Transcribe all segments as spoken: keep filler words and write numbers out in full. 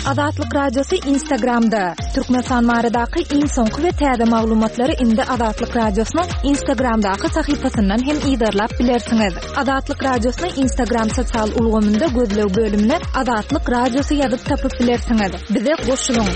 Azatlyk Radiosy Instagramda. Türkmenistan baradaky iň soňky we täze maglumatlary indi Azatlyk Radiosynyň Instagramdaky sahypasyndan hem yzarlap bilersiňiz. Azatlyk Radiosyny Instagram sosial ulgamynda gözleg bölümine Azatlyk Radiosy ýazyp tapyp bilersiňiz. Bize goşulyň.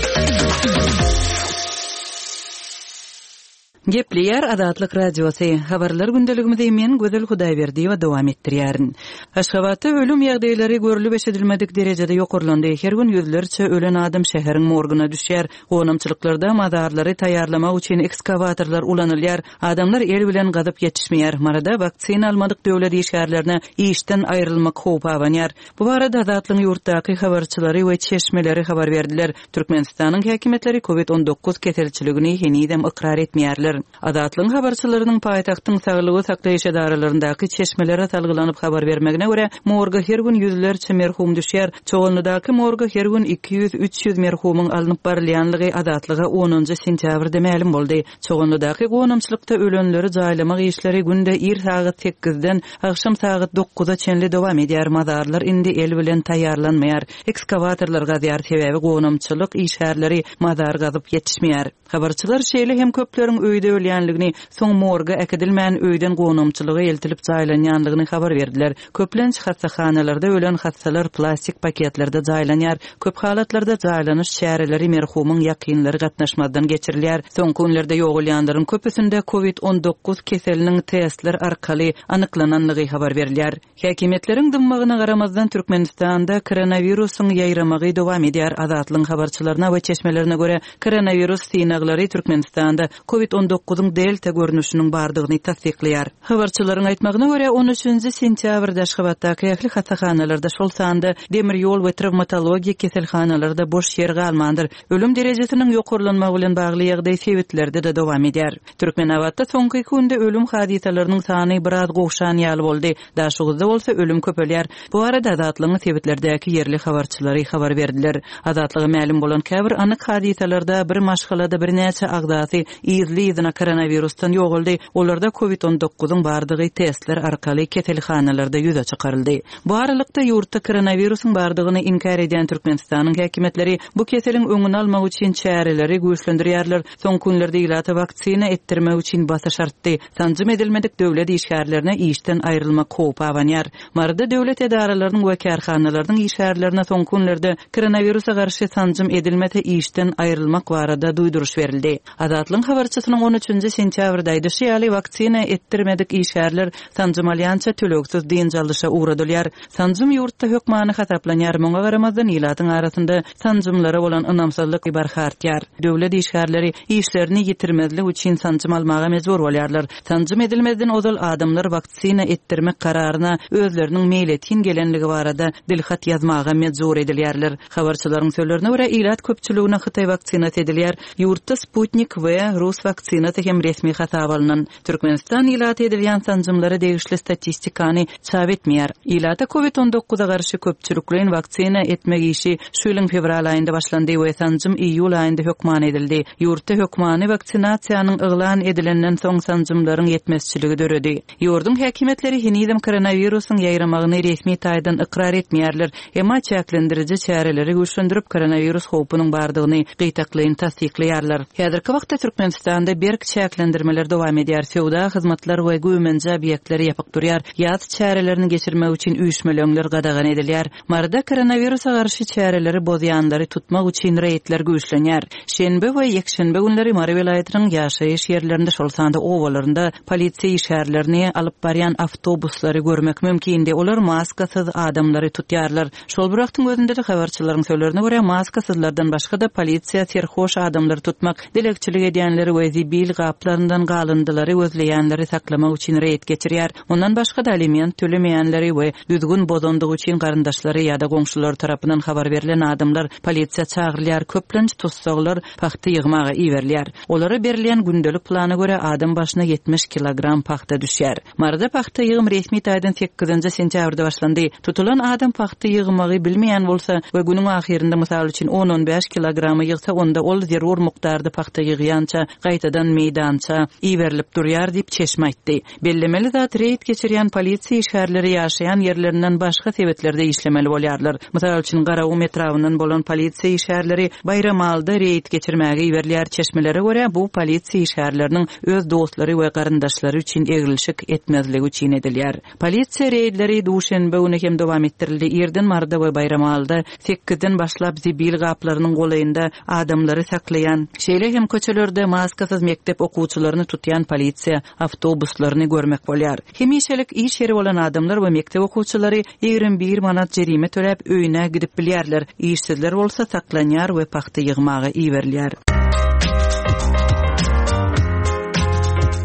Gepleýär Azatlyk Radiosy. Habarlar gündeligimizi men Gözel Hudaýberdiýewa dowam etdirýärin. Aşgabatda ölüm ýagdaýlary görülip eşidilmedik derejede ýokarlandy. Her gün ýüzlerçe ölen adam şäheriň morguna düşýär. Gonamçylyklarda mazarlary taýýarlamak üçin ekskavatorlar ulanylýar. Adamlar el bilen gazyp ýetişmeýär. Maryda waksina almadyk döwlet işgärlerine işden aýrylmak howpy abanýar. Bu barada Azatlygyň ýurtdaky habarçylary we çeşmeleri habar berdiler. Türkmenistanyň häkimiýetleri COVID on dokuz keselçiligini henizem ykrar etmeýärler. Azatlygyň habarçylarynyň paýtagtyň saglygy saklaýyş edaralaryndaky çeşmelere salgylanyp habar bermegine görä, morga her gün ýüzlerçe merhum düşýär. Çoganlydaky morga her gün iki ýüz, üç ýüz merhumyň alnyp barylýanlygy Azatlyga onunjy sentýabrda mälim boldy. Çoganlydaky gonamçylykda ölenleri jaýlamak işleri günde ir sagat sekizden akşam sagat dokuza çenli dowam edýär. Mazarlar indi el bilen taýýarlanmaýar. Ekskavatorlar gazýar, sebäbi gonamçylyk işgärleri mazar gazyp ýetişmeýär. Habarçylar şeýle hem köpleriň öýde ölýänligini, soň morga äkidilmän öýden gonamçylyga eltilip jaýlanýanlygyny habar berdiler. Köplenç hassahanalarda ölen hassalar plastik paketlerde jaýlanýar. Köp halatlarda jaýlanyş çäreleri merhumyň ýakynlary gatnaşmazdan geçirilýär. Soňky günlerde ýogalýanlaryň köpüsinde COVID on dokuz keseliniň testler arkaly anyklananlygy habar berilýär. Häkimiýetleriň dymmagyna garamazdan Türkmenistanda koronawirusyň ýaýramagy dowam edýär. Azatlygyň habarçylaryna we çeşmelerine görä koronawirus synaglary Türkmenistanda COVID on dokuzyň delta görnüşiniň bardygyny tassyklaýar. Habarçylaryň aýtmagyna görä on üçünji sentýabrda Aşgabatdaky ähli hassahanalarda, şol sanda demir ýol we travmatologiýa keselhanalarda boş ýer galmandyr. Ölüm derejesiniň ýokarlanmagy bilen bagly ýagdaý sebitlerde-de dowam edýär. Türkmenabatda soňky iki günde ölüm hadysalarynyň sany biraz gowşan ýaly boldy. Daşoguzda bolsa ölüm köpelýär. Bu arada Azatlygyň sebitlerdäki ýerli habarçylary habar berdiler. Azatlyga mälim bolan käbir anyk hadysalarda bir maşgalada birnäçe agzasy yzly-yzyna koronavirusdan ýogaldy. Olarda COVID on dokuzyň bardygy testler arkaly keselhanalarda ýüze çykaryldy. Bu aralykda ýurtda koronawirusyň bardygyny inkär edýän Türkmenistanyň häkimiýetleri bu keseliň öňüni almak üçin çäreleri güýçlendirýärler. Soňky günlerde ilata waksina etdirmek üçin basyş artdy. Sanjym edilmedik döwlet işgärlerine işden aýrylmak howpy abanýar. Maryda döwlet edaralarynyň we kärhanalarynyň işgärlerine soňky günlerde koronawirusa garşy sanjym edilmese işden aýrylmak barada duýduryş berildi. Azatlygyň habarçysynyň on üçünji sentýabrda aýdyşy ýaly waksina etdirmedik işgärler sanjym alýança tölegsiz dynç alyşa ugradylýar. Sanjym ýurtda hökmany hasaplanýar. Muňa garamazdan ilatyň arasynda sanjymlara bolan ynamsyzlyk barha artýar. Döwlet işgärleri işlerini ýitirmezlik üçin sanjym almaga mejbur bolýarlar. Sanjym edilmezden ozal adamlar waksina etdirmek kararyna özleriniň meýletin gelenligi barada dilhat ýazmaga mejbur edilýärler. Habarçylaryň sözlerine görä ilat köpçüligine Hytaý waksinasy edilýär. Ýurtda Sputnik we Rus waksinasy hem resmi hasap alynan. Türkmenistan ilaty edilýän sanjymlara degişli statistikany çap etmeýär. Ilata COVID on dokuza garşy köpçülikleýin waksina etmek işi şu ýylyň fewral aýynda başlandy we sanjym iýul aýynda hökman edildi. Ýurtda hökmany waksinasiýanyň yglan edilenden soň sanjymlaryň ýetmezçiligi döredi. Ýurduň häkimiýetleri henizem koronawirusyň ýaýramagyny resmi taýdan ykrar etmeýärler. Emma çäklendiriji çäreleri güýçlendirip koronawirus howpunyň bardygyny gytaklaýyn tassyklaýarlar. Häzirki wagtda Türkmenistanda berk çäklendirmeler dowam edýär. Söwda, hyzmatlar we güýmenje obýektleri ýapyk durýar. Ýaz çärelerini geçirmek üçin üýşmeleňler gadagan edilýär. Maryda koronawirusa garşy çäreleri bozýanlary tutmak üçin reýdler güýçlenýär. Şenbe we ýekşenbe günleri Mary welaýatynyň ýaşaýyş ýerlerinde, şol sanda obalarynda polisiýa işgärlerini alyp barýan awtobuslary görmek mümkindi. Olar maskasyz adamlary tutýarlar. Şol bir wagtyň özünde-de habarçylaryň sözlerine görä maskasyzlardan başga da polisiýa serhoş adamlary tutmak, dilekçilik edýänleri we zibil gaplaryndan galyndylary gözleýänleri saklamak üçin reýd geçirýär. Ondan başga da aliment tölemeýänleri we düzgün bozandygy üçin garyndaşlary ýa-da goňşulary tarapyndan habar berlen adamlar polisiýa çagyrylýar. Köplenç tussaglar pagta ýygmaga iberilýär. Olara berilýän gündelik plana görä adam başyna ýetmiş kilogram pagta düşýär. Maryda pagta ýygym resmi taýdan sekizinji sentýabrda başlandy. Tutulan adam pagta ýygmagy bilmeýän bolsa we günüň ahyrynda mysal üçin on on bäş kilogramy ýygsa, onda ol zerur mukdarda pagta ýygýança gaýtadan gaýtadan meýdança iberilip durýar diýip çeşme aýtdy. Bellemeli zat reýd geçirýän polisiýa işgärleri ýaşaýan ýerlerinden başga sebetlerde işlemeli bolýarlar. Mysal üçin Garagum etrabyndan bolan polisiýa işgärleri Baýramalda reýd geçirmäge iberilýär. Çeşmelere görä bu polisiýa işgärleriniň öz dostlary we garyndaşlary üçin egilşik etmezligi üçin edilýär. Polisiýa reýdleri duşenbe güni hem dowam etdirildi. Irden Maryda we Baýramalda sekizden başlap zibil gaplarynyň golaýynda adamlary saklaýan, şeýle hem köçelerde maskasyz mekdep okuwçylaryny tutýan polisiýa awtobuslaryny görmek bolýar. Hemişelik iş ýeri bolan adamlar we mekdep okuwçylary ýigrimi bir manat jerime töläp öýüne gidip bilýärler. Işsizler bolsa saklanýar we pagta ýygmaga iberilýär.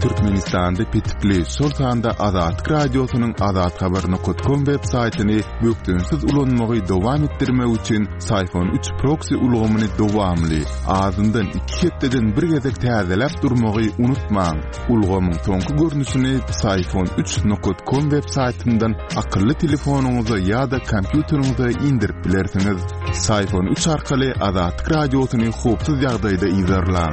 Türkmenistanda petikli, şol sanda Azatlyk Radiosynyň azathabar nokta com web saýtyny bökdençsiz ulanmagy dowam etdirmek üçin Syfon üç proxy ulgamyny dowamly, azyndan iki hepdeden bir gezek täzeläp durmagy unutmaň. Ulgamyň soňky görnüşini Syfon üç nokta com web saýtyndan akylly telefonyňyza ýa-da kompýuteriňize indirip bilersiňiz. Syfon üç arkaly Azatlyk Radiosyny howpsuz ýagdaýda yzarlaň.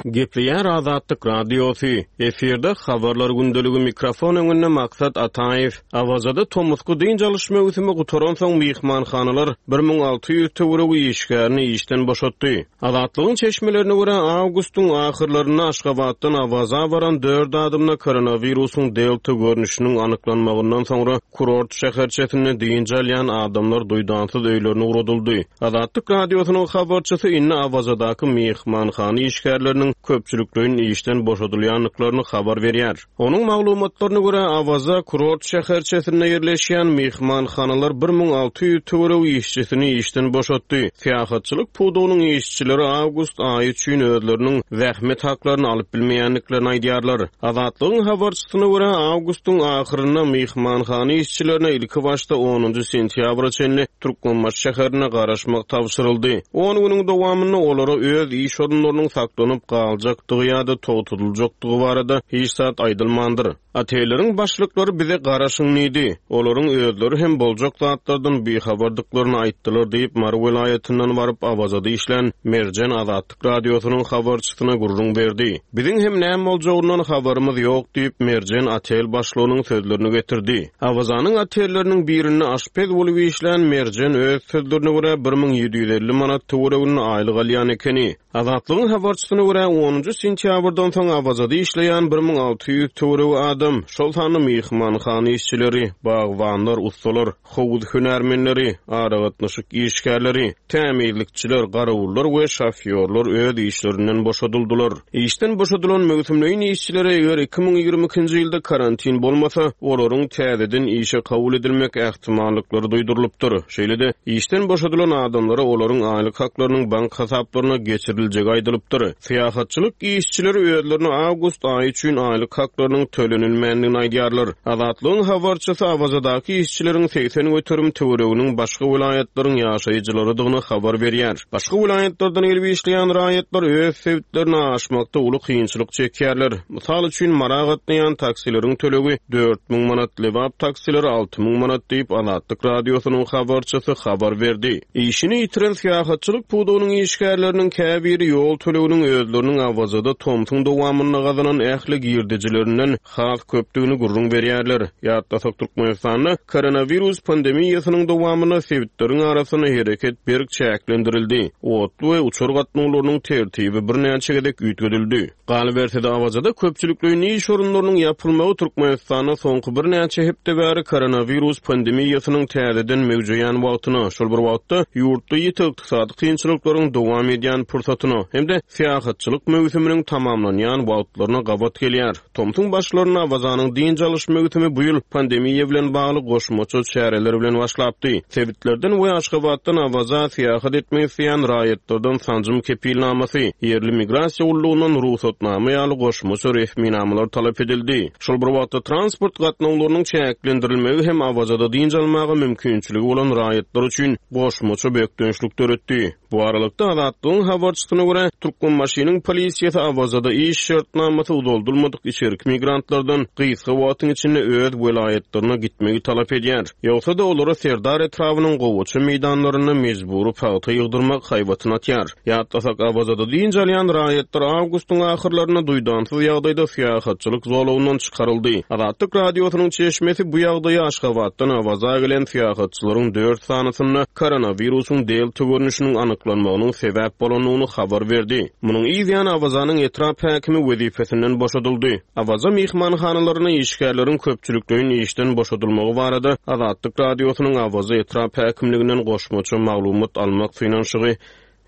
Gepleýär Azatlyk Radiosy. Efirde habarlar gündeligi mikrofon öňünde Maksat Ataýew. Awazada tomusky dynç alyş möwsümi gutaransoň myhmanhanalar bir müň alty ýüz töweregi işgärini işden boşatdy. Azatlygyň çeşmelerine görä awgustyň ahyrlarynda Aşgabatdan Awaza baran dört adamda koronawirusyň delta görnüşiniň anyklanmagyndan soňra kurort şäherçesinde dynç alýan adamlar duýdansyz öýlerine ugradyldy. Azatlyk Radiosynyň habarçysy indi Awazadaky myhmanhana işgärleriniň köpçülikleýin işden boşadylýandyklaryny habar berýär. Onuň maglumatlaryna görä Awaza kurort şäherçesinde ýerleşýän myhmanhanalar bir müň alty ýüz töweregi işçisini işden boşatdy. Syýahatçylyk pudagynyň işçileri awgust aýy üçin özleriniň zähmet haklaryny alyp bilmeýändiklerini aýdýarlar. Azatlygyň habarçysyna görä awgustyň ahyrynda myhmanhana işçilerine ilki başda onunjy sentýabra çenli Türkmenbaşy şäherine garaşmak tabşyryldy. On günüň dowamynda olara öz iş orunlarynyň saklanyp galjakdygy ýa-da togtadyljakdygy barada hiç zat aýdylmandyr. Otelleriň başlyklary bize garaşyň diýdi. Olaryň özleri hem boljak zatlardan bihabardyklaryny aýtdylar diýip Mary welaýatyndan baryp Awazada işlän Merjen Azatlyk Radiosynyň habarçysyna gürrüň berdi. Biziň hem näme boljagyndan habarymyz ýok diýip Merjen otel başlygynyň sözlerini getirdi. Awazanyň otelleriniň birinde aşpez bolup işlän Merjen öz sözlerine görä bir müň ýedi ýüz elli manat töwereginde aýlyk alýan ekeni. Azatlygyň habarçysyna görä onunjy sentýabrdan soň Awazada işleýän bir müň alty ýüz töweregi adam, şol sanda myhmanhana işçileri, bagbanlar, ustalar, howuz hünärmenleri, aragatnaşyk işgärleri, tämizlikçiler, garawullar we şofýorlar öz işlerinden boşadyldylar. Işden boşadylan möwsümleýin işçilere eger iki müň ýigrimi ikinji ýylda karantin bolmasa, olaryň täzeden işe kabul edilmek ähtimallyklary duýdurylypdyr. Şeýle-de işden boşadylan adamlara olaryň aýlyk haklarynyň bank hasaplaryna geçiriljegi aýdylypdyr. Syýahatçylyk işçileri özlerine awgust aýy üçin aýlyk haklarynyň tölenilmändigini aýdýarlar. Azatlygyň habarçysy Awazadaky işçileriň segsen göterim töwereginiň başga welaýatlaryň ýaşaýjylarydygyny habar berýär. Başga welaýatlardan gelip işleýän raýatlar öz sebitlerine aşmakda uly kynçylyk çekýärler. Mysal üçin Mara gatnaýan taksileriň tölegi dört müň manat, Lebap taksileri alty müň manat diýip Azatlyk Radiosynyň habarçysy habar berdi. Işini ýitiren syýahatçylyk pudagynyň işgärleriniň käbiri ýol töleginiň özleriniň Awazada tomsuň dowamynda gazanan ähli girdejilerinden has köpdügini gürrüň berýärler. Ýatlasak Türkmenistanda koronawirus pandemiýasynyň dowamynda sebitleriň arasynda hereket berk çäklendirildi. Otly we uçar gatnawlarynyň tertibi birnäçe gezek üýtgedildi. Galyberse-de Awazada köpçülikleýin iş orunlarynyň ýapylmagy Türkmenistanda soňky birnäçe hepde bäri koronawirus pandemiýasynyň täzeden möwjeýän wagtyna, şol bir wagtda ýurtda ýiti ykdysady kynçylyklaryň dowam edýän pursatyna hem-de syýahatçylyk möwsüminiň tamamlanýan wagtlaryna gabat gelýär. Tomsuň başlarynda Awazanyň dynç alyş möwsümi bu ýyl pandemiýa bilen bagly goşmaça çäreler bilen başlapdy. Sebitlerden we Aşgabatdan Awaza syýahat etmek isleýän raýatlardan sanjym kepilnamasy, ýerli migrasiýa gullugyndan rugsatnama ýaly goşmaça resminamalar talap edildi. Şol bir wagtda transport gatnawlarynyň çäklendirilmegi hem Awazada dynç almaga mümkinçiligi bolan raýatlar üçin goşmaça bökdençlik döretdi. Bu aralykda Azatlygyň habarçysyna görä, Türkmenbaşynyň polisiýasy Awazada iş şertnamasy uzaldylmadyk içerki migrantlardan gysga wagtyň içinde öz welaýatlaryna gitmegi talap edýär. Ýogsa-da olara Serdar etrabynyň gowaça meýdanlarynda mejbury pagta ýygdyrmak haýbatyny atýar. Ýatlasak Awazada dynç alýan raýatlar awgustyň ahyrlarynda duýdansyz ýagdaýda syýahatçylyk zolagyndan çykaryldy. Azatlyk radiosynyň çeşmesi bu ýagdaýy Aşgabatdan Awaza gelen syýahatçylaryň dört sanysynda koronawirusyň delta görnüşiniň anyklanmagynyň sebäp bolandygyny habar berdi. Munuň ýany Awazanyň etrap häkimi wezipesinden boşadyldy. Awaza mehmanhanalaryna işgärleriň köpçülikleýin işden boşadylmagy barada Azatlyk radiosynyň Awaza etrap häkimliginden goşmaça maglumat almak synanyşygy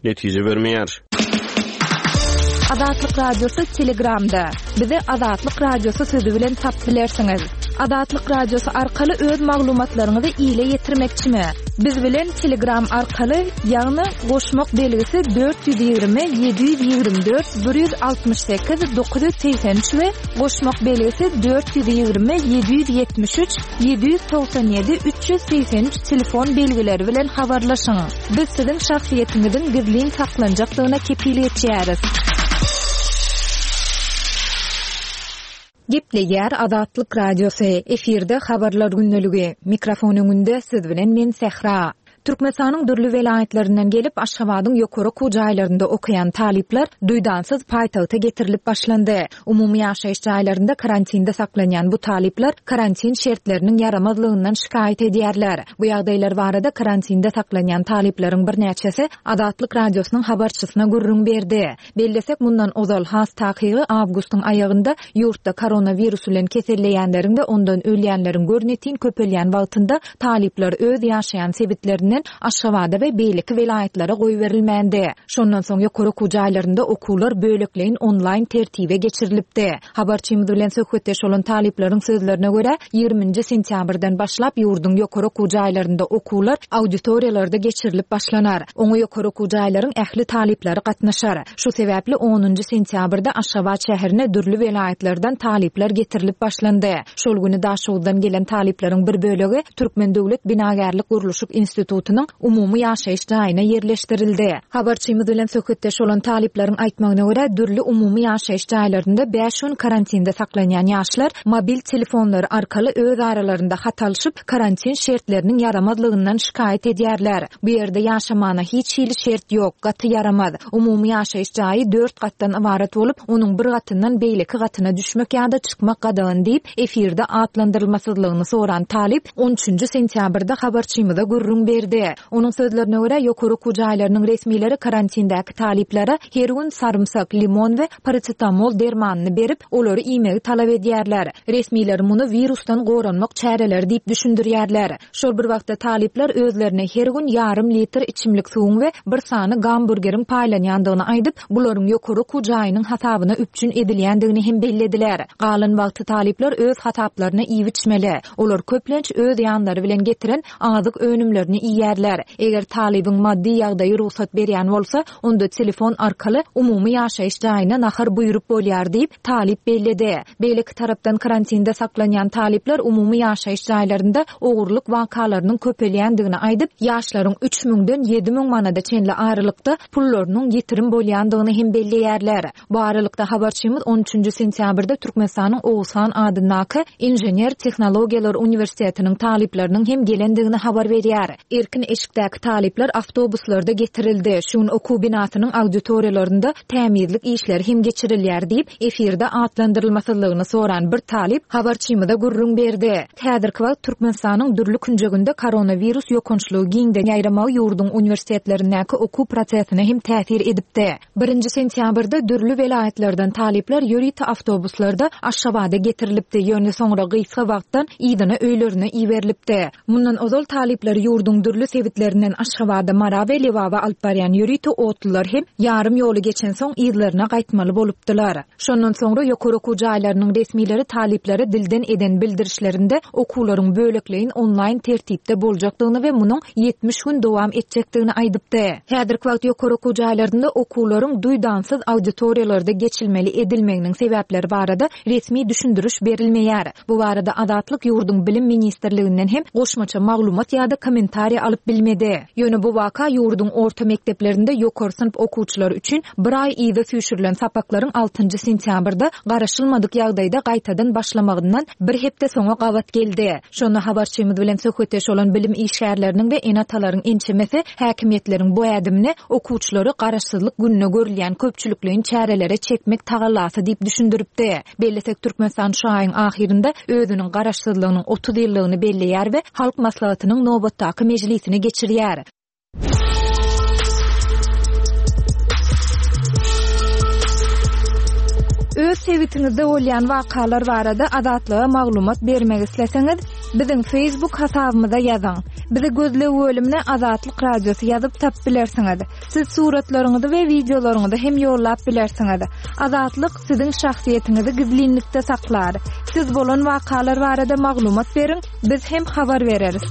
netije bermeýär. Azatlyk Radiosy Telegramda. Bizi Azatlyk Radiosy sözü bilen tap bilersiňiz. Azatlyk Radiosy arkaly öz maglumatlaryňyzy ile ýetirmekçimi? Biz bilen Telegram arkaly, ýagny goşmak belgisi dört ýüz ýigrimi ýedi ýüz ýigrimi dört bir ýüz altmyş sekiz dokuz ýüz segsen üç we goşmak belgisi dört ýüz ýigrimi ýedi ýüz ýetmiş üç ýedi ýüz togsan ýedi üç ýüz segsen üç telefon belgileri bilen habarlaşyň. Biz siziň şahsyýetiňiziň gizlin saklanjakdygyna kepil geçýäris. Gepleýär Azatlyk Radiosy, efirde habarlar gündeligi. Mikrofon öňünde siz bilen men Sähra. Türkmenistanyň dürli welaýatlaryndan gelip Aşgabadyň ýokary okuw jaýlarynda okaýan talyplar duýdansyz paýtagta getirilip başlandy. Umumy ýaşaýyş jaýlarynda karantinde saklanýan bu talyplar karantin şertleriniň ýaramazlygyndan şikaýat edýärler. Bu ýagdaýlar barada karantinde saklanýan talyplaryň birnäçesi Azatlyk Radiosynyň habarçysyna gürrüň berdi. Bellesek mundan ozal has takygy awgustyň aýagynda ýurtda koronawirus bilen keselleýänleriň we ondan ölýänleriň görnetin köpelýän wagtynda talyplar öz ýaşaýan sebitlerinden Aşgabada we beýleki welaýatlara goýberilmändi. Şondan soň ýokary okuw jaýlarynda okuwlar bölekleýin onlaýn tertibe geçirilipdi. Habarçymyz bilen söhbetdeş bolan talyplaryň sözlerine görä, ýigriminji sentýabrdan başlap ýurduň ýokary okuw jaýlarynda okuwlar auditoriýalarda geçirilip başlanar. Oňa ýokary okuw jaýlaryň ähli talyplary gatnaşar. Şu sebäpli onunjy sentýabrda Aşgabat şäherine dürli welaýatlardan talyplar getirilip başlandy. Şol güni Daşoguzdan gelen talyplaryň bir bölegi Türkmen Döwlet Binagärlik Gurluşyk Institutynyň umumy ýaşaýyş jaýyna ýerleşdirildi. Habarçymyz bilen söhbetdeş bolan talyplaryň aýtmagyna görä, dürli umumy ýaşaýyş jaýlarynda bäş gün karantinde saklanýan ýaşlar mobil telefonlary arkaly öz aralarynda hat alşyp, karantin şertleriniň ýaramazlygyndan şikaýat edýärler. Bu ýerde ýaşamana hiç hili şert ýok, gaty ýaramaz. Umumy ýaşaýyş jaýy dört gatdan ybarat bolup, onuň bir gatyndan beýleki gatyna düşmek ýa-da çykmak gadagan diýip, efirde atlandyrylmasyzlygyny soran talyp on üçünji sentýabrda habarçymyza gürrüň berdi. Onuň sözlerine görä, ýokary okuw jaýlarynyň resmileri karantindäki talyplara her gün sarymsak, limon we parasetamol dermanyny berip, olary iýmegi talap edýärler. Resmiler muny wirusdan goranmak çäreleri diýip düşündirýärler. Şol bir wagtda talyplar özlerine her gün ýarym litr içimlik suwuň we bir sany gamburgeriň paýlanýandygyny aýdyp, bularyň ýokary okuw jaýynyň hasabyna üpjün edilýändigini hem bellediler. Galan wagty talyplar öz hasaplaryna iýip içmeli. Olar köplenç öz ýanlary bilen getiren azyk önümlerini iýýärler. Eger talybyň maddy ýagdaýy rugsat berýän bolsa, onda telefon arkaly umumy ýaşaýyş jaýyna nahar buýrup bolýar diýip talyp belledi. Beýleki tarapdan karantinde saklanýan talyplar umumy ýaşaýyş jaýlarynda ogurlyk wakalarynyň köpelýändigini aýdyp, ýaşlaryň üç müňden ýedi müň manada çenli aralykda pullarynyň ýitirim bolýandygyny hem belleýärler. Bu aralykda habarçymyz on üçünji sentýabrda Türkmenistanyň Oguzhan adyndaky Inžener Tehnologiýalar Uniwersitetiniň talyplarynyň hem gelendigini habar berýär. Erkin eşikdäki talyplar awtobuslarda getirildi. Şu gün okuw binasynyň auditoriýalarynda tämizlik işleri hem geçirilýär diýip, efirde atlandyrylmasyzlygyny soran bir talyp habarçymyza gürrüň berdi. Häzirki wagt Türkmenistanyň dürli künjeginde koronawirus ýokançlygy giňden ýaýramagy ýurduň uniwersitetlerindäki okuw prosesine hem täsir edipdi. Birinji sentýabrda dürli welaýatlardan talyplar ýörite awtobuslarda Aşgabada getirilipdi. Ýöne soňra gysga wagtdan ýygyna öýlerine iberilipdi. Mundan ozal talyplar ýurduň dürli sebitlerinden Aşgabada, Mara we Lebaba alyp barýan ýörite otlular hem ýarym ýoly geçen soň ýerlerine gaýtmaly bolupdylar. Şondan soňra ýokary okuw jaýlarynyň resmileri talyplara dilden eden bildirişlerinde okuwlaryň bölekleýin onlaýn tertipde boljakdygyny we munuň ýetmiş gün dowam etjekdigini aýdypdy. Häzirki wagt ýokary okuw jaýlarynda okuwlaryň duýdansyz auditoriýalarda geçilmeli edilmeginiň sebäpleri barada resmi düşündiriş berilmeýär. Bu barada Azatlyk ýurduň Bilim Ministrliginden hem goşmaça maglumat ýa-da kommentariýa alyp bilmedi. Ýöne bu waka ýurduň orta mekdeplerinde ýokary synp okuwçylary üçin bir aý yza süýşürilen sapaklaryň altynjy sentýabrda garaşylmadyk ýagdaýda gaýtadan başlamagyndan bir hepde soňa gabat geldi. Şonda habarçymyz bilen söhbetdeş bolan bilim işgärleriniň we ene-atalaryň ençemesi häkimiýetleriň bu ädimini okuwçylary garaşsyzlyk gününe görülýän köpçülikleýin çärelere çekmek tagallasy diýip düşündiripdi. Bellesek Türkmenistan şu aýyň ahyrynda özüniň garaşsyzlygynyň otuz ýyllygyny belleýär we Halk Maslahatynyň nobatdaky mejlisini geçirýär. Öz sebitiňizde bolýan wakalar barada Azatlyga maglumat bermek isleseňiz, biziň Facebook hasabymyza ýazyň. Bizi gözleg bölümine Azatlyk Radiosy ýazyp tapyp bilersiňiz. Siz suratlaryňyzy we wideolaryňyzy hem ýollap bilersiňiz. Azatlyk siziň şahsyýetiňizi gizlinlikde saklar. Siz bolan wakalar barada maglumat beriň, biz hem habar bereris.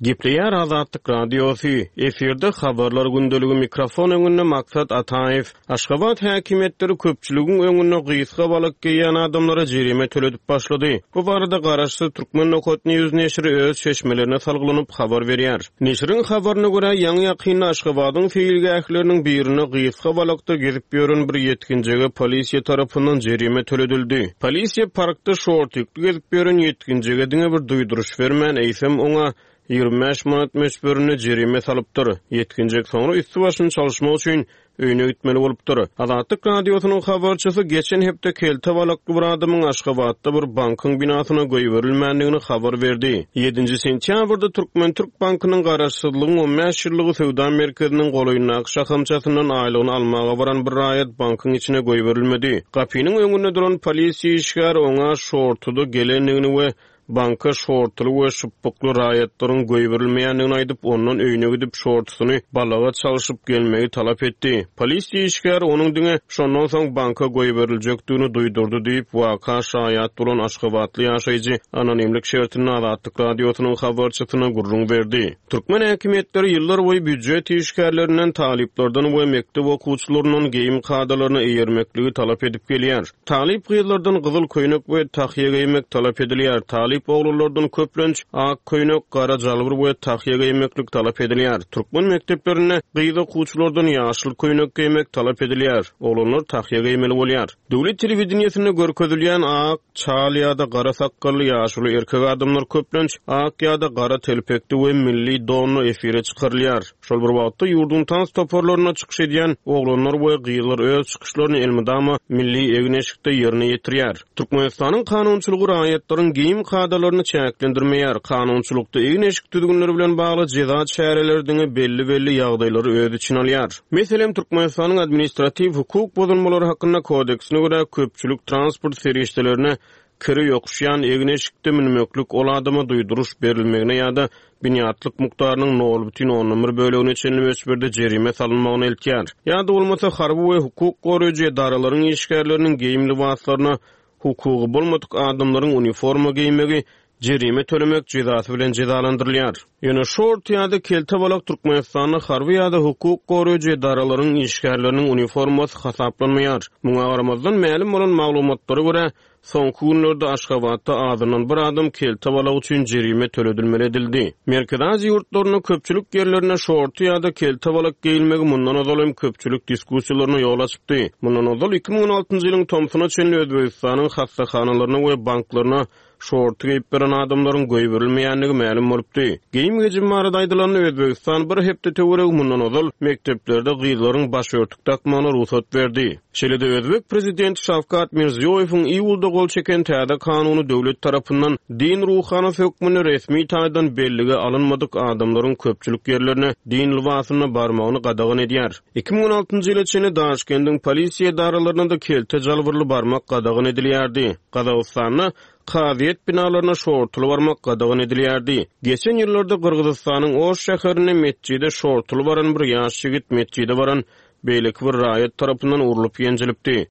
Gepleýär Azatlyk Radiosy, efirde habarlar gündeligi mikrofon öňünde Maksat Ataýew. Aşgabat häkimiýetleri köpçüligiň öňünde gysga balak geýen adamlara jerime töledip başlady. Bu barada garaşsyz Türkmen Nokat News neşiri öz çeşmelerine salgylanyp habar berýär. Neşiriň habaryna görä, ýaňy ýakynda Aşgabadyň seýilgähleriniň birine gysga balakda gezip ýören bir ýetginjege polisiýa tarapyndan jerime töledildi. Polisiýa parkda şortikli gezip ýören ýetginjege diňe bir duýduryş bermän, eýsem oňa ýigrimi bäş manat möçberinde jerime salypdyr. Ýetginjek soňra üstü başyny çalyşmak üçin öýüne gitmeli bolupdyr. Azatlyk Radiosynyň habarçysy geçen hepde kelte balakly bir adamyň Aşgabatda bir bankyň binasyna goýberilmändigini habar berdi. Ýedinji sentýabrda Türkmen Türk Bankynyň garaşsyzlygyň on bäş ýyllygy söwda merkeziniň golaýyndaky şahamçasyndan aýlygyny almaga baran bir raýat bankyň içine goýberilmedi. Gapynyň öňünde duran polisiýa işgäri oňa şortuda gelendigini we banka şortuly we şypbykly raýatlaryň goýberilmeýändigini aýdyp, ondan öýüne gidip şortusyny balaga çalyşyp gelmegi talap etdi. Polisiýa işgäri onuň diňe şondan soň banka goýberiljekdigini duýdurdy diýip, waka şaýat bolan Aşgabatly ýaşaýjy anonimlik şertinde Azatlyk Radiosynyň habarçysyna gürrüň berdi. Türkmen häkimiýetleri ýyllar boýy býujet işgärlerinden, talyplardan we mekdep okuwçylaryndan geýim kadalaryna eýermekligi talap edip gelýär. Talyp gyzlardan gyzyl köýnek we tahýa geýmek talap edilýär. Talyp oglanlardan köplenç ak köýnek, gara jalbir we tahýa geýmeklik talap edilýär. Türkmen mekdeplerinde gyz okuwçylardan ýaşyl köýnek geýmek talap edilýär. Oglanlar tahýa geýmeli bolýar. Döwlet telewideniýesinde görkezilýän ak, çal ýa-da gara sakgally ýaşuly erkek adamlar köplenç ak ýa-da gara telpekli we milli donla efire çykarylýar. Şol bir wagtda ýurduň tans toparlaryna çykyş edýän oglanlar we gyzlar öz çykyşlaryny elmydama milli egin-eşikde ýerine ýetirýär. Türkmenistanyň kanunçylygy raýatlaryň geýim kadalaryny çäklendirmeýär. Kanunçylykda egin-eşik düzgünleri bilen bagly jeza çäreleri diňe belli-belli ýagdaýlary öz içine alýar. Meselem, Türkmenistanyň administratiw hukuk bozulmalary hakynda kodeksine görä köpçülik transport serişdelerine kiri ýokuşýan egin-eşikde münmeklik ol adama duýduryş berilmegine ýa-da binýatlyk mukdarynyň nol bütin ondan bir bölegine çenli möçberde jerime salynmagyny eltýär. Ýa-da bolmasa harby we hukuk goraýjy edaralaryň işgärleriniň geýim lybaslaryna hukugy bolmadyk adamlaryň uniforma geýmegi jerime tölemek jezasy bilen jezalandyrylýar. Ýöne şort ýa-da kelte balak Türkmenistanda harby ýa-da hukuk goraýjy edaralaryň işgärleriniň uniformasy hasaplanmaýar. Muňa garamazdan mälim bolan maglumatlara görä, soňky günlerde Aşgabatda azyndan bir adam kelte balak üçin jerime töledilmeli edildi. Merkezi Aziýa ýurtlarynda köpçülik ýerlerinde şorty ýa-da kelte balak geýilmegi mundan ozal hem köpçülik diskussiýalaryna ýol açypdy. Mundan ozal iki müň on altynjy ýylyň tomsuna çenli Özbegistanyň hassahanalaryna we banklaryna şorty geýip beren adamlaryň goýberilmeýändigi mälim bolupdy. Geýim gejim barada aýdylanda Özbegistan bir hepde töweregi mundan ozal mekdeplerde gyzlaryň başörtük dakmagyna rugsat berdi. Şeýle-de Özbek prezidenti Şawkat Mirziýoýewiň iýulda gol çeken täze kanuny döwlet tarapyndan din ruhanysy hökmünde resmi taýdan bellige alynmadyk adamlaryň köpçülik ýerlerine din lybasynda barmagyny gadagan edýär. iki müň on altynjy ýyla çenli Daşkendiň polisiýa edaralaryna da kelte jalbyrly barmak gadagan edilýärdi. Gazagystanda kazyýet binalaryna şortuly barmak gadagan edilýärdi. Geçen ýyllarda Gyrgyzystanyň Oş şäherinde metjide şortuly baran bir ýaş ýigit metjide baran beýleki bir raýat tarapyndan urlup ýenjilipdi.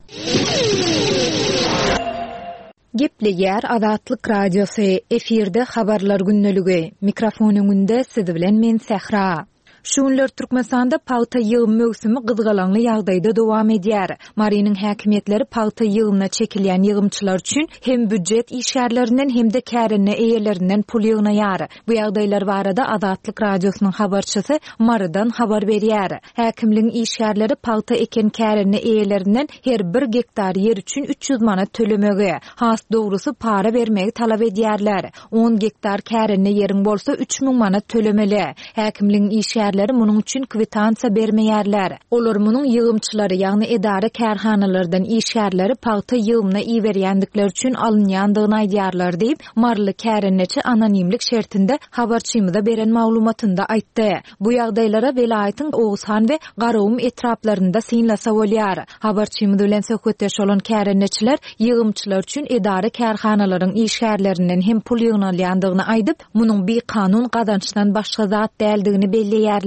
Gepleýär Azatlyk Radiosy, efirde habarlar gündeligi. Mikrofon öňünde siz bilen men Sähra. Şu günler Türkmenistanda pagta ýygym möwsümi gyzgalaňly ýagdaýda dowam edýär. Marynyň häkimiýetleri pagta ýygymyna çekilýän ýygymçylar üçin hem býujet işgärlerinden hem-de kärende eýelerinden pul ýygnaýar. Bu ýagdaýlar barada Azatlyk Radiosynyň habarçysy Marydan habar berýär. Häkimligiň işgärleri pagta eken kärende eýelerinden her bir gektar ýer üçin üç ýüz manat tölemegi, has dogrusy para bermegi talap edýärler. On gektar kärende ýeriň bolsa üç müň manat tölemeli. Häkimligiň işgärleri munuň üçin kwitansiýa bermeýärler. Olar munuň ýygymçylary, ýagny edara kärhanalardan işgärleri pagta ýygymyna iberýändikleri üçin alynýandygyny aýdýarlar diýip, Maryly kärendeçi anonimlik şertinde habarçymyza beren maglumatynda aýtdy. Bu ýagdaýlara welaýatyň Oguzhan we Garagum etraplarynda synlasa bolýar. Habarçymyz bilen söhbetdeş bolan kärendeçiler ýygymçylar üçin edara kärhanalaryň işgärlerinden hem pul ýygnalýandygyny aýdyp, munuň bikanun gazançdan başga zat däldigini belleýärler.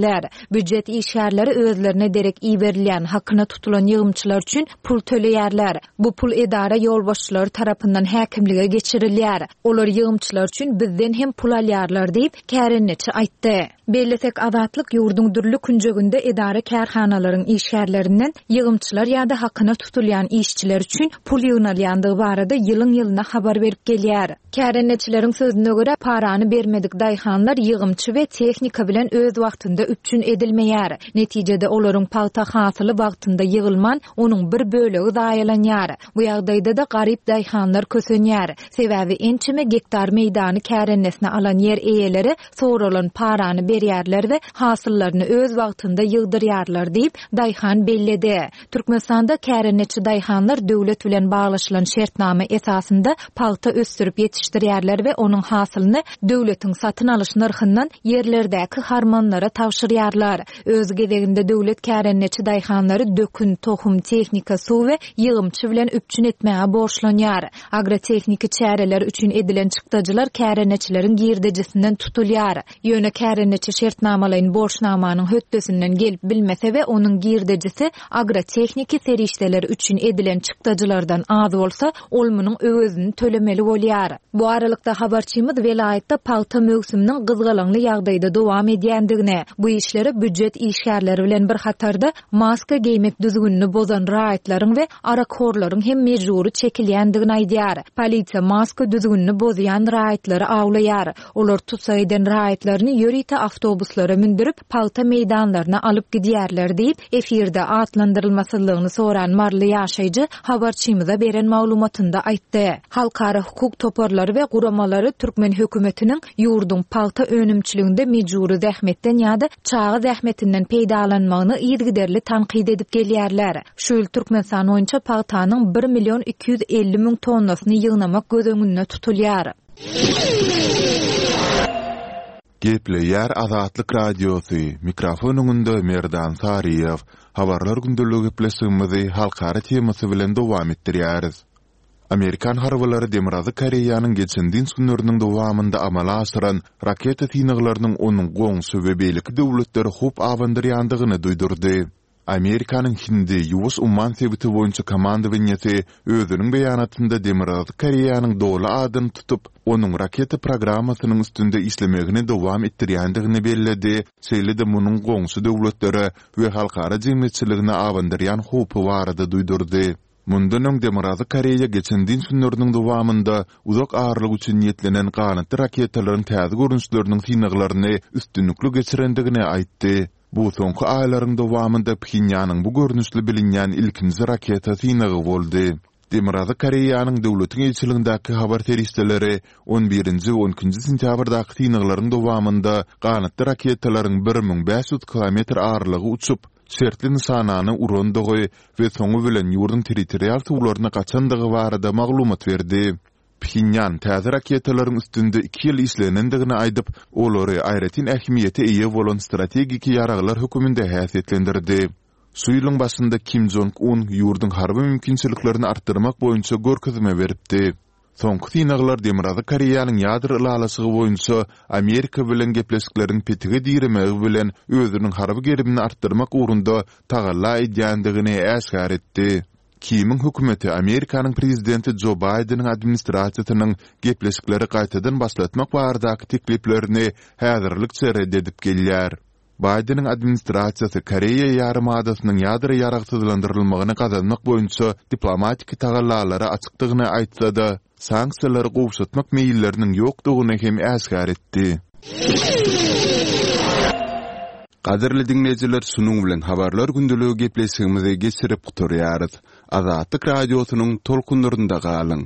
Býujet işgärleri özlerine derek iberilýän hakyna tutulan ýygymçylar üçin pul töleýärler. Bu pul edara ýolbaşçylary tarapyndan häkimlige geçirilýär. Olar ýygymçylar üçin bizden hem pul alýarlar diýip, kärendeçi aýtdy. Bellesek, Azatlyk ýurduň dürli künjeginde edara kärhanalaryň işgärlerinden ýygymçylar ýa-da hakyna tutulýan işçiler üçin pul ýygnalýandygy barada ýylyň-ýylyna habar berip gelýär. Kärendeçileriň sözüne görä, parany bermedik daýhanlar ýygymçy we tehnika bilen öz wagtynda üpjün edilmeýär. Netijede olaryň pagta hasyly wagtynda ýygylman, onuň bir bölegi zaýalanýar. Bu ýagdaýda-da garyp daýhanlar kösenýär. Sebäbi ençeme gektar meýdany kärendesine alan ýer eýeleri soralan parany berýärler we hasyllaryny öz wagtynda ýygdyrýarlar diýip, daýhan belledi. Türkmenistanda kärendeçi daýhanlar döwlet bilen baglaşylan şertnama esasynda pagta ösdürip ýetişdirýärler we onuň hasylyny döwletiň satyn alyş nyrhyndan ýerlerdäki harmanlara tabşyrýarlar. Öz gezeginde döwlet kärendeçi daýhanlary dökün, tohum, tehnika, suw we ýygymçy bilen üpjün etmäge borçlanýar. Agrotehniki çäreler üçin edilen çykdajylar kärendeçileriň girdejisinden tutulýar. Ýöne kärendeçi şertnamalaýyn borçnamanyň hötdesinden gelip bilmese we onuň girdejisi agrotehniki serişdeler üçin edilen çykdajylardan az bolsa, ol munuň öwezini tölemeli bolýar. Bu aralykda habarçymyz welaýatda pagta möwsüminiň gyzgalaňly ýagdaýda dowam edýändigini, bu işlere býujet işgärleri bilen bir hatarda maska geýmek düzgünini bozan raýatlaryň we arakhorlaryň hem mejbury çekilýändigini aýdýar. Polisiýa maska düzgünini bozýan raýatlary awlaýar. Olar tutsak eden raýatlaryny ýörite awtobuslara mündürip, pagta meýdanlaryna alyp gidýärler diýip, efirde atlandyrylmasyzlygyny soran Maryly ýaşaýjy habarçymyza beren maglumatynda aýtdy. Halkara hukuk toparlary we guramalary türkmen hökümetiniň ýurduň pagta önümçiliginde mejbury zähmetden ýa-da çaga zähmetinden peýdalanmagyny yzygiderli tankyt edip gelýärler. Şu ýyl Türkmenistan boýunça pagtanyň bir million iki ýüz elli müň tonnasyny ýygnamak göz öňünde tutulýar. Gepleýär Azatlyk Radiosy, mikrofon öňünde Merdan Saryýew. Habarlar gündeligi gepleşigimizi halkara temasy bilen dowam etdirýäris. Amerikan harbylary Demirgazyk Koreýanyň geçen dynç günleriniň dowamynda amala aşyran raketa synaglarynyň onuň goňşy we beýleki döwletlere howp abandyrýandygyny duýdurdy. Amerikanyň Hindi Ýuwaş umman sebiti boýunça komandowaniýesi özüniň beýanatynda Demirgazyk Koreýanyň doly adyny tutup, onuň raketa programmasynyň üstünde işlemegini dowam etdirýändigini belledi, şeýle-de munuň goňşy döwletlere we halkara jemgyýetçiligine abandyrýan howpy barada duýdurdy. Mundan öň Demirgazyk Koreýa geçen dynç günleriniň dowamynda uzak aralyk üçin niýetlenen ganatly raketalaryň täze görnüşleriniň synaglaryny üstünlikli geçirendigini aýtdy. Bu soňky aýlaryň dowamynda Phenýanyň bu görnüşli bilinýän ilkinji raketa synagy boldy. Demirgazyk Koreýanyň döwletiň eýeçiligindäki habar serişdeleri on birinji we on ikinji sentýabrdaky synaglaryň dowamynda ganatly raketalaryň bir müň bäş ýüz kilometr aralygy uçup, şertli nyşanany urandygy we soňy bilen ýurduň territorial suwlaryna gaçandygy barada maglumat berdi. Phenýan täze raketalaryň üstünde iki ýyl işlenendigini aýdyp, olary aýratyn ähmiýete eýe bolan strategik ýaraglar hökmünde häsiýetlendirdi. Şu ýylyň başynda Kim Jong Un ýurduň harby mümkinçiliklerini artdyrmak boýunça görkezme beripdi. Soňky synaglar Demirgazyk Koreýanyň ýadro ylalaşygy boýunça Amerika bilen gepleşikleriň petige diremegi bilen özüniň harby gerimini artdyrmak ugrunda tagalla edýändigini äşgär etdi. Kimiň hökümeti Amerikanyň prezidenti Jo Baýdeniň administrasiýasynyň gepleşikleri gaýtadan başlatmak baradaky tekliplerini häzirlikçe red edip gelýär. Baýdeniň administrasiýasy Koreýa ýarymadasynyň ýadro ýaragsyzlandyrylmagyny gazanmak boýunça diplomatik tagallalara açykdygyny aýtsa-da, sanksiýalary gowşatmak meýilleriniň ýokdugyny hem äşgär etdi. Gadyrly diňleýjiler, şunuň bilen Habarlar gündeligi gepleşigimizi geçirip gutarýarys. Azatlyk Radiosynyň tolkunlarynda galyň!